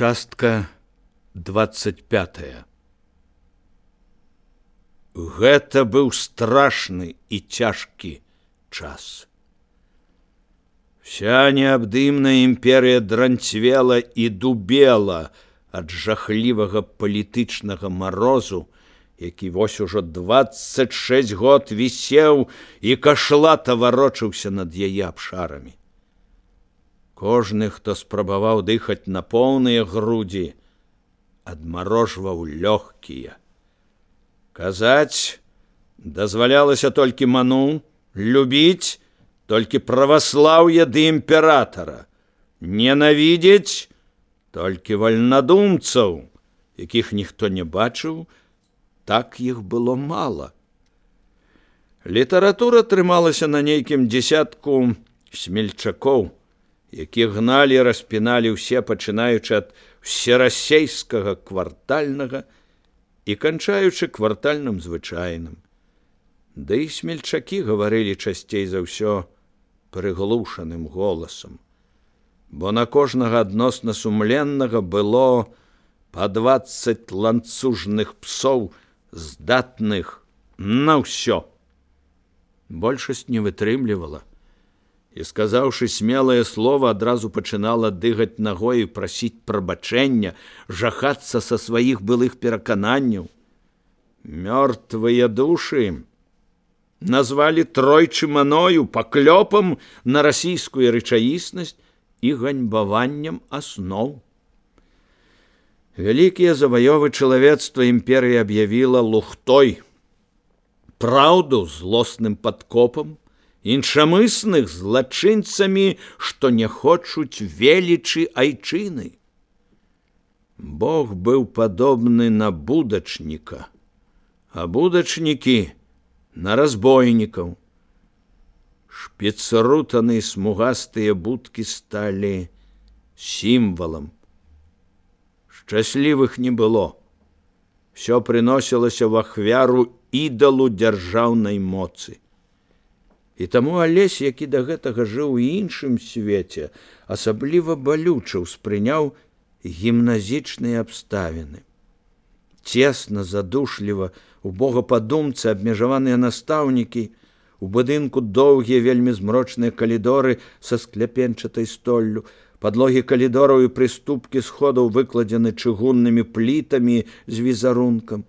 Частка 25. Гэта быў страшны і цяжкі час. Вся неабдымная імперыя дранцвела і дубела ад жахлівага палітычнага марозу, які вось ужо 26 год вісеў і кашлата варочаўся над яе абшарамі. Кожны, хто спрабаваў дыхаць на поўныя грудзі, адмарожваў лёгкія. Казаць дазвалялася толькі ману, любіць толькі праваслаўе ды імператара, ненавідзець толькі вальнадумцаў, якіх ніхто не бачыў, так іх было мала. Літаратура трымалася на нейкім дзесятку смельчакоў, які гналі і распіналі ўсе, пачынаючы ад всерасейскага квартальнага і канчаючы квартальным звычайным. Да і смельчакі гаварылі часцей за ўсё прыглушаным голасам, бо на кожнага адносна сумленнага было па 20 ланцужных псоў, здатных на ўсё. Большасць не вытрымлівала і, сказаўшы смелае слова, адразу пачынала дыгаць нагой і прасіць прабачэння, жахацца са сваіх былых перакананняў. Мёртвыя душы назвалі тройчы маною, паклёпам на расійскую рэчаіснасць і ганьбаваннем асноў. Вялікія заваёвы чалавецтва імперыя аб'явіла лухтой, праўду злосным падкопам, іншамысных злачынцамі, што не хочуць велічы айчыны. Бог быў падобны на будачніка, а будачнікі на разбойнікаў. Шпіцрутаны смугастыя будкі сталі сімвалам. Шчаслівых не было. Всё прыносілася в ахвяру ідалу дзяржаўнай моцы. І таму Алесь, які да гэтага жыў у іншым свеце, асабліва балюча ўспрыняў гімназічныя абставіны. Цесна, задушліва, у богападумцы абмежаваныя настаўнікі, у будынку доўгія, вельмі змрочныя калідоры са скляпенчатай столлю, падлогі калідораў і прыступкі сходаў выкладзены чыгуннымі плітамі з візарункам.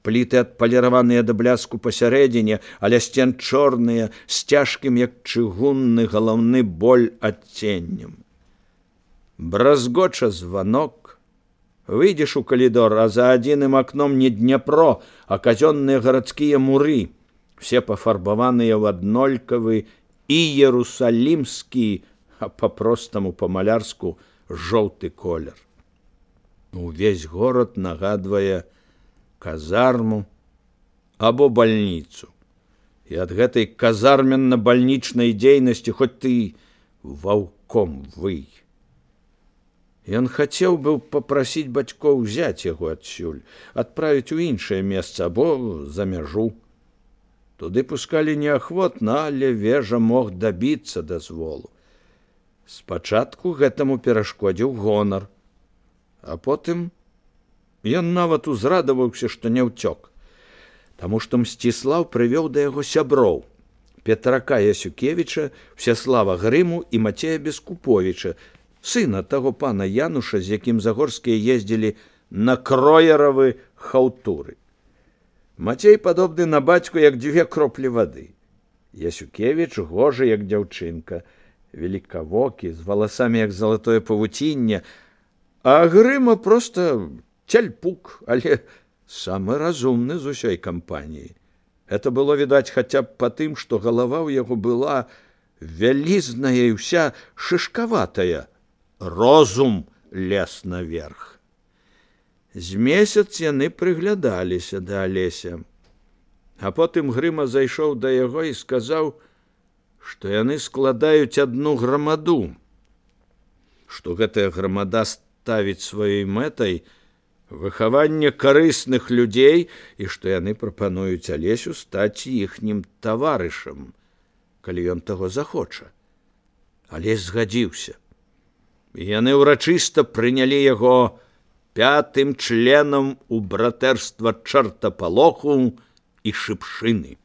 Пліты адпаліраваныя да бляску пасярэдзіне, але сцен чорныя, з цяжкім, як чыгунны галаўны боль адценнем. Бразгоча званок. Выйдзеш у калідор, а за адзіным акном не Дняпро, а казённыя гарадскія муры, все пафарбаваныя ў аднолькавы і ерусалімскі, а па-простаму па-малярску жоўты колер. Увесь горад нагадвае казарму або бальніцу. І ад гэтай казарменна-бальнічнай дзейнасці хоць ты ваўком вый. Ён хацеў быў папрасіць бацькоў узяць яго адсюль, адправіць у іншае месца або за мяжу. Туды пускалі неахвотна, але вежа мог дабіцца дазволу. Спачатку гэтаму перашкодзіў гонар, а потым ён нават узрадаваўся, што не ўцёк, таму што Мсціслаў прывёў да яго сяброў Петрака Ясюкевіча, Всеслава Грыму і Мацея Бескуповіча, сына таго пана Януша, з якім Загорскія ездзілі на кроеравы хаўтуры. Мацей падобны на бацьку, як 2 кроплі вады. Ясюкевіч гожы, як дзяўчынка, великавокі, з валасамі, як залатое павуцінне, а Грыма проста цяльпук, але самы разумны з усёй кампаніі. Это было відаць хаця б па тым, што галава ў яго была вялізная і ўся шышкаватая. Розум лез наверх. З месяц яны прыглядаліся да Алеся. А потым Грыма зайшоў да яго і сказаў, што яны складаюць адну грамаду, што гэтая грамада ставіць сваёй мэтай выхаванне карысных людзей і што яны прапануюць Алесю стаць іхнім таварышам, калі ён таго захоча. Алесь згадзіўся. Яны ўрачыста прынялі яго 5-м членам у братэрства чартапалоху і шыпшыны.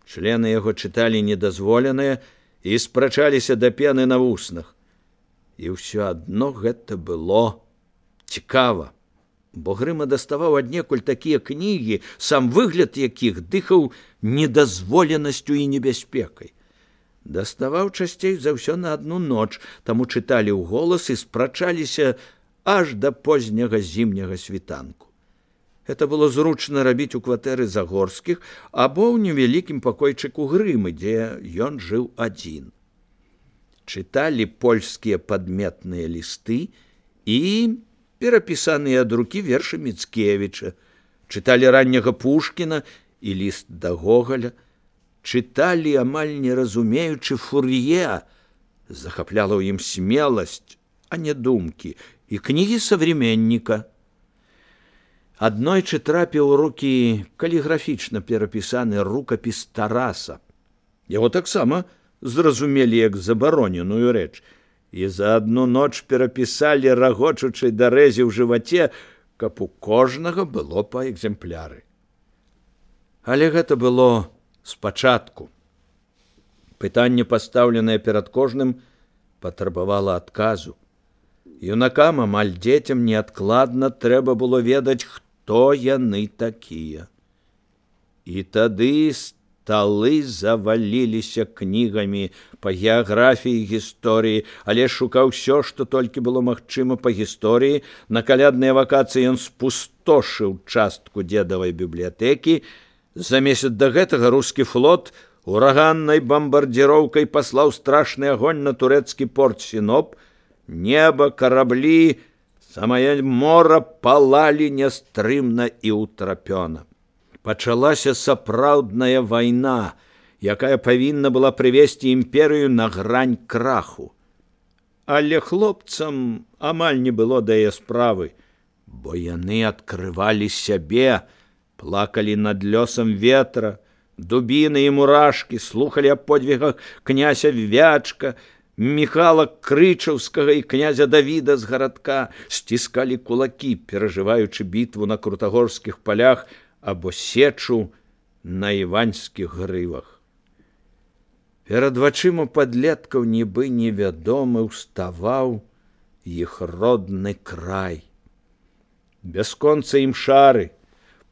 Члены яго чыталі недазволенае і спрачаліся да пены на вуснах. І ўсё адно гэта было цікава, бо Грыма даставаў аднекуль такія кнігі, сам выгляд якіх дыхаў недазволенасцю і небяспекай. Даставаў часцей за ўсё на адну ноч, таму чыталі ўголас і спрачаліся аж да позняга зімняга світанку. Это было зручна рабіць у кватэры Загорскіх або ў невялікім пакойчыку Грымы, дзе ён жыў адзін. Чыталі польскія падметныя лісты і перапісаныя ад рукі вершы Міцкевіча, чыталі ранняга Пушкіна і ліст да Гогаля, чыталі, амаль не разумеючы, Фур'е, захапляла ў ім смеласць, а не думкі, і кнігі современніка. Аднойчы трапіў у рукі каліграфічна перапісаны рукапіс Тараса. Яго таксама зразумелі як забароненую рэч, і за адну ноч перапісалі, рагочучы да рэзі ў жываце, каб у кожнага было па экземпляры. Але гэта было спачатку. Пытанне, пастаўленае перад кожным, патрабавала адказу. Юнакам, амаль дзецям, неадкладна трэба было ведаць, хто яны такія. І тады сталы заваліліся кнігамі па геаграфіі і гісторыі, але шукаў усё, што толькі было магчыма па гісторыі. На калядныя вакацыі ён спустошыў частку дзедавай бібліятэкі. За месяц да гэтага рускі флот ураганнай бамбардзіроўкай паслаў страшны агонь на турэцкі порт Сіноп. Неба, караблі, самае мора палалі нястрымна і ўтрапёна. Пачалася сапраўдная вайна, якая павінна была прывесці імперыю на грань краху. Але хлопцам амаль не было да яе справы, бо яны адкрывалі сябе, плакалі над лёсам ветра, дубіны і мурашкі, слухалі аб подвігах князя Вячка, Міхала Крычаўскага і князя Давіда з гарадка, сціскалі кулакі, перажываючы бітву на крутагорскіх палях або сечу на іваньскіх грывах. Перад вачыма падлеткаў нібы невядомы ўставаў іх родны край. Бясконца імшары,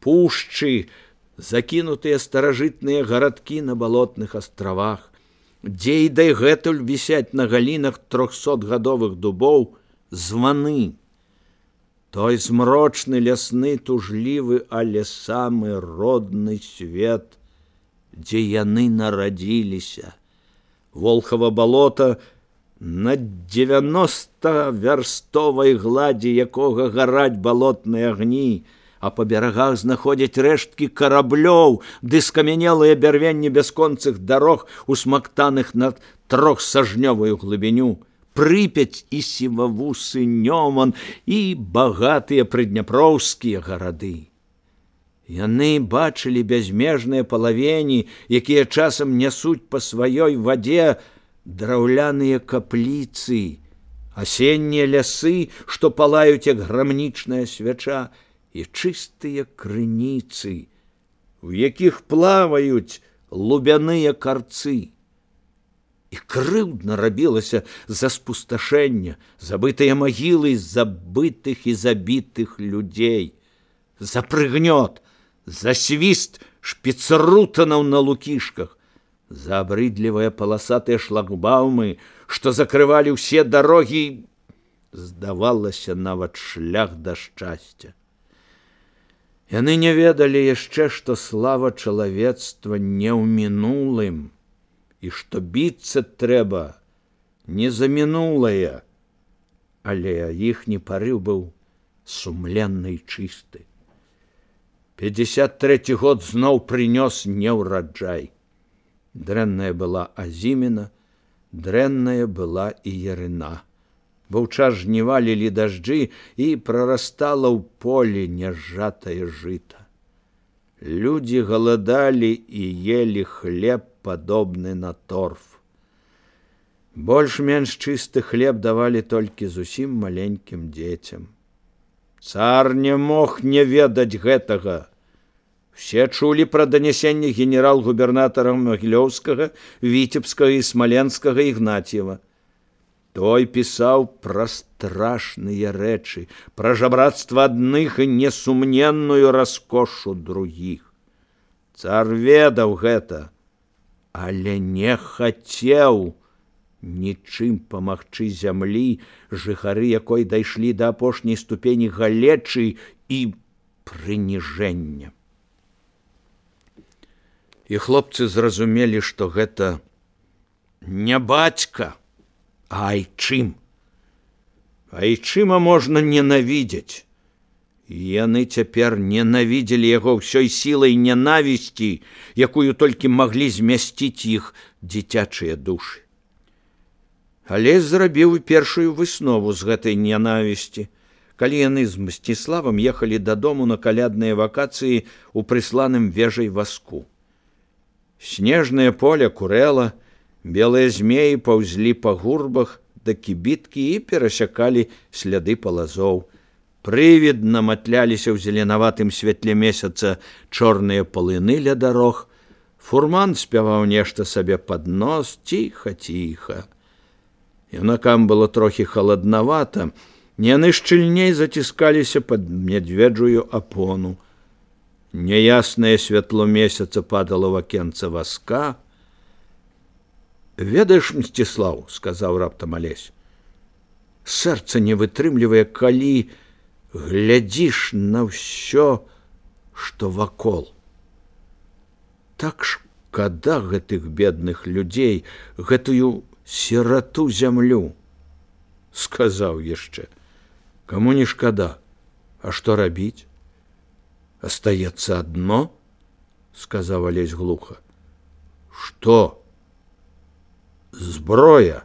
пушчы, закінутыя старажытныя гарадкі на балотных астравах, дзе і дагэтуль вісяць на галінах 300гадовых дубоў званы. Той змрочны лясны тужлівы, але самы родны свет, дзе яны нарадзіліся. Волхава балота, на 90-вярстовай гладзі якога гараць балотныя агні, а па берагах знаходзяць рэшткі караблёў ды скамянелыя бярвенні бясконцых дарог, усмактаных на 3-сажнёвую глыбіню, Прыпяць і сівавусы Нёман і багатыя прыдняпроўскія гарады. Яны бачылі бязмежныя палавені, якія часам нясуць па сваёй вадзе драўляныя капліцы, асеннія лясы, што палаюць як грамнічная свяча, і чыстыя крыніцы, у якіх плаваюць лубяныя карцы. І крыўдна рабілася за спусташэння, забытыя магілы забытых і забітых людзей, за прыгнёт, за свіст шпіцрутанаў на лукішках, за абрыдлівыя паласатыя шлагбаумы, што закрывалі ўсе дарогі, здавалася, нават шлях да шчасця. Яны не ведалі яшчэ, што слава чалавецтва не ў мінулым, і што біцца трэба не за мінулае, але іхні парыў быў сумленны і чысты. 53 год зноў прынёс неўраджай. Дрэнная была азіміна, дрэнная была і ярына. Бо ў час жніва лілі дажджы, і прарастала ў полі няжатае жыта. Людзі галадалі і елі хлеб, падобны на торф. Больш-менш чысты хлеб давалі толькі зусім маленькім дзецям. Цар не мог не ведаць гэтага. Все чулі пра данясенне генерал-губернатара Магілёўскага, Віцебскага і Смаленскага Ігнатьева. Той пісаў пра страшныя рэчы, пра жабрацтва адных і несумненную раскошу другіх. Цар ведаў гэта, але не хацеў нічым памагчы зямлі, жыхары якой дайшлі да апошняй ступені галечы і прыніжэння. І хлопцы зразумелі, што гэта не бацька, а айчым. Айчыма можна ненавідзець. Яны цяпер ненавідзелі яго ўсёй сілай ненавісці, якую толькі маглі змясціць іх дзіцячыя душы. Але зрабіў першую выснову з гэтай ненавісці, калі яны з Мсціславам ехалі дадому на калядныя вакацыі ў прысланым вежай васку. Снежнае поле курэла, белыя змеі паўзлі па гурбах да кібіткі і перасякалі сляды палазоў. Прывідна матляліся ў зеленаватым святле месяца чорныя палыны ля дарог. Фурман спяваў нешта сабе пад нос ціха-ціха. Юнакам было трохі халаднавата, яны шчыльней заціскаліся пад медведжую апону. Няяснае святло месяца падало ў акенца васка. «Ведаеш, Мсціслаў, — сказаў раптам Алесь, — сэрца не вытрымлівае, калі глядзіш на ўсё, што вакол. Так шкада гэтых бедных людзей, гэтую сірату зямлю». Сказаў яшчэ: «Каму не шкада, а што рабіць? Астаецца адно, — сказаў Алесь глуха. — Што? Зброя.